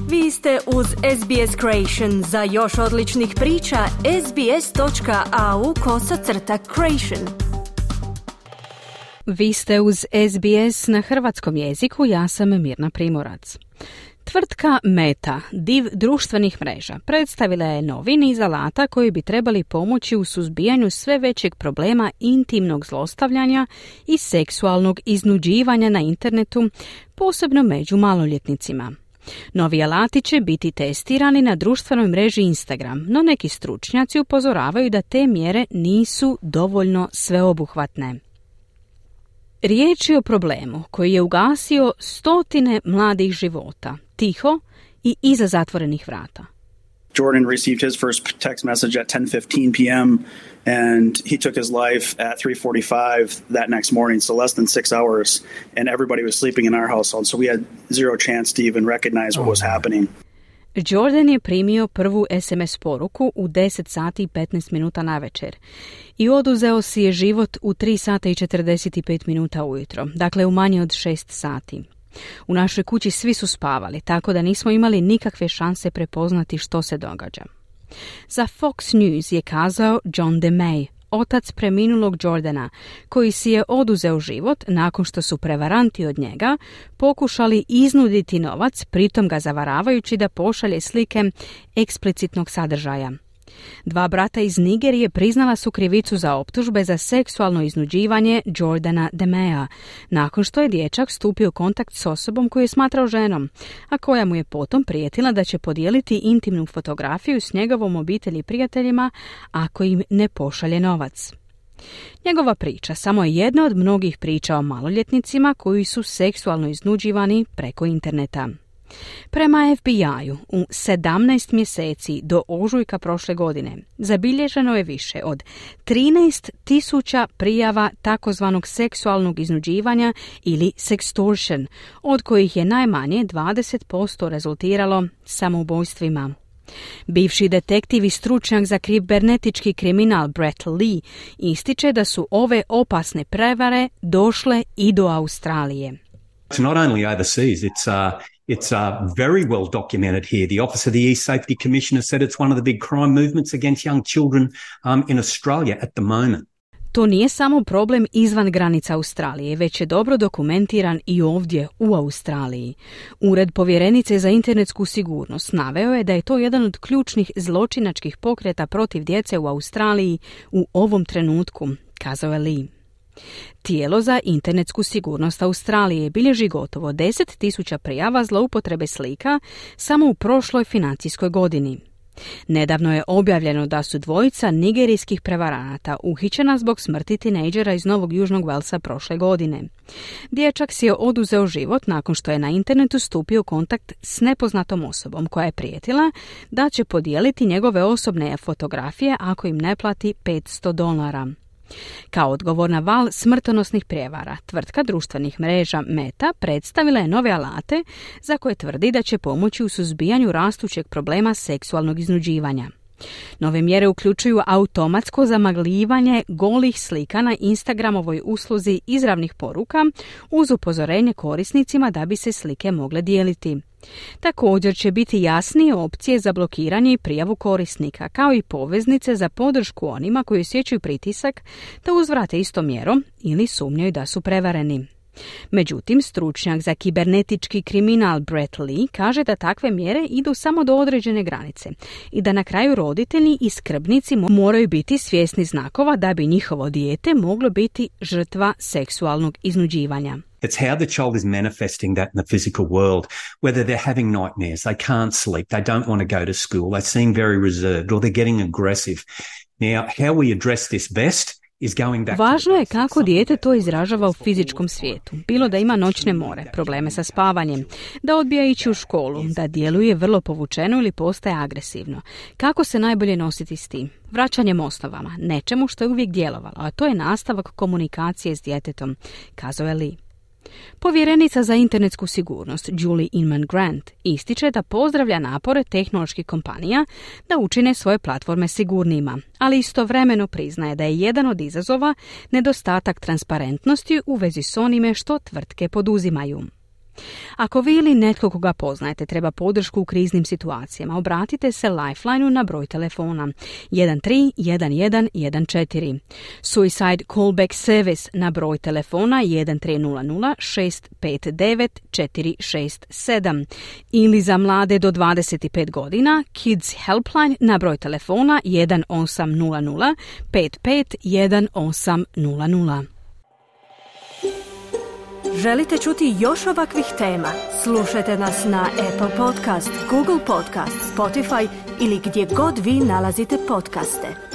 Vi ste uz SBS Creation. Za još odličnih priča, sbs.au/creation. Vi ste uz SBS na hrvatskom jeziku, ja sam Mirna Primorac. Tvrtka Meta, div društvenih mreža, predstavila je novi niz alata koji bi trebali pomoći u suzbijanju sve većeg problema intimnog zlostavljanja i seksualnog iznuđivanja na internetu, posebno među maloljetnicima. Novi alati će biti testirani na društvenoj mreži Instagram, no neki stručnjaci upozoravaju da te mjere nisu dovoljno sveobuhvatne. Riječ je o problemu koji je ugasio stotine mladih života, tiho i iza zatvorenih vrata. Jordan received his first text message at 10:15 p.m. and he took his life at 3:45 that next morning, so less than 6 hours, and everybody was sleeping in our household, so we had zero chance to even recognize what was happening. Jordan je primio prvu SMS poruku u 10 sati i 15 minuta navečer i oduzeo si je život u 3 sata i 45 minuta ujutro, dakle u manje od 6 sati. U našoj kući svi su spavali, tako da nismo imali nikakve šanse prepoznati što se događa. Za Fox News je kazao John DeMay, otac preminulog Jordana, koji si je oduzeo život nakon što su prevaranti od njega pokušali iznuditi novac, pritom ga zavaravajući da pošalje slike eksplicitnog sadržaja. 2 brata iz Nigerije priznala su krivicu za optužbe za seksualno iznuđivanje Jordana DeMaya, nakon što je dječak stupio u kontakt s osobom koju je smatrao ženom, a koja mu je potom prijetila da će podijeliti intimnu fotografiju s njegovom obitelji i prijateljima ako im ne pošalje novac. Njegova priča samo je jedna od mnogih priča o maloljetnicima koji su seksualno iznuđivani preko interneta. Prema FBI-u, u 17 mjeseci do ožujka prošle godine zabilježeno je više od 13.000 prijava takozvanog seksualnog iznuđivanja ili sextortion, od kojih je najmanje 20% rezultiralo samoubojstvima. Bivši detektiv i stručnjak za kibernetički kriminal Brett Lee ističe da su ove opasne prevare došle i do Australije. It's not only overseas, it's very well documented here. The Office of the E-Safety Commissioner said it's one of the big crime movements against young children in Australia at the moment. To nije samo problem izvan granica Australije, već je dobro dokumentiran i ovdje u Australiji. Ured povjerenice za internetsku sigurnost naveo je da je to jedan od ključnih zločinačkih pokreta protiv djece u Australiji u ovom trenutku, kazao je Lee. Tijelo za internetsku sigurnost Australije bilježi gotovo 10.000 prijava zloupotrebe slika samo u prošloj financijskoj godini. Nedavno je objavljeno da su 2 nigerijskih prevaranata uhićena zbog smrti tinejdžera iz Novog Južnog Walesa prošle godine. Dječak si je oduzeo život nakon što je na internetu stupio u kontakt s nepoznatom osobom koja je prijetila da će podijeliti njegove osobne fotografije ako im ne plati $500. Kao odgovor na val smrtonosnih prijevara, tvrtka društvenih mreža Meta predstavila je nove alate za koje tvrdi da će pomoći u suzbijanju rastućeg problema seksualnog iznuđivanja. Nove mjere uključuju automatsko zamagljivanje golih slika na Instagramovoj usluzi izravnih poruka uz upozorenje korisnicima da bi se slike mogle dijeliti. Također će biti jasnije opcije za blokiranje i prijavu korisnika, kao i poveznice za podršku onima koji osjećaju pritisak da uzvrate istom mjerom ili sumnjaju da su prevareni. Međutim, stručnjak za kibernetički kriminal Brett Lee kaže da takve mjere idu samo do određene granice i da na kraju roditelji i skrbnici moraju biti svjesni znakova da bi njihovo dijete moglo biti žrtva seksualnog iznuđivanja. It's how the child is manifesting that in the physical world, whether they're having nightmares, they can't sleep, they don't want to go to school, they seem very reserved or they're getting aggressive. Now, how we address this best is going back. Važno je kako dijete to izražava u fizičkom svijetu, bilo da ima noćne more, probleme sa spavanjem, da odbija ići u školu, da djeluje vrlo povučeno ili postaje agresivno. Kako se najbolje nositi s tim? Vraćanjem osnovama, nečemu što je uvijek djelovalo, a to je nastavak komunikacije s djetetom, kazao je Lee. Povjerenica za internetsku sigurnost Julie Inman Grant ističe da pozdravlja napore tehnoloških kompanija da učine svoje platforme sigurnijima, ali istovremeno priznaje da je jedan od izazova nedostatak transparentnosti u vezi s onime što tvrtke poduzimaju. Ako vi ili netko koga poznajete treba podršku u kriznim situacijama, obratite se Lifeline-u na broj telefona 131114. Suicide Callback Service na broj telefona 1300 659 467 ili za mlade do 25 godina Kids Helpline na broj telefona 1800 55 1800. Želite čuti još ovakvih tema? Slušajte nas na Apple Podcast, Google Podcast, Spotify ili gdje god vi nalazite podcaste.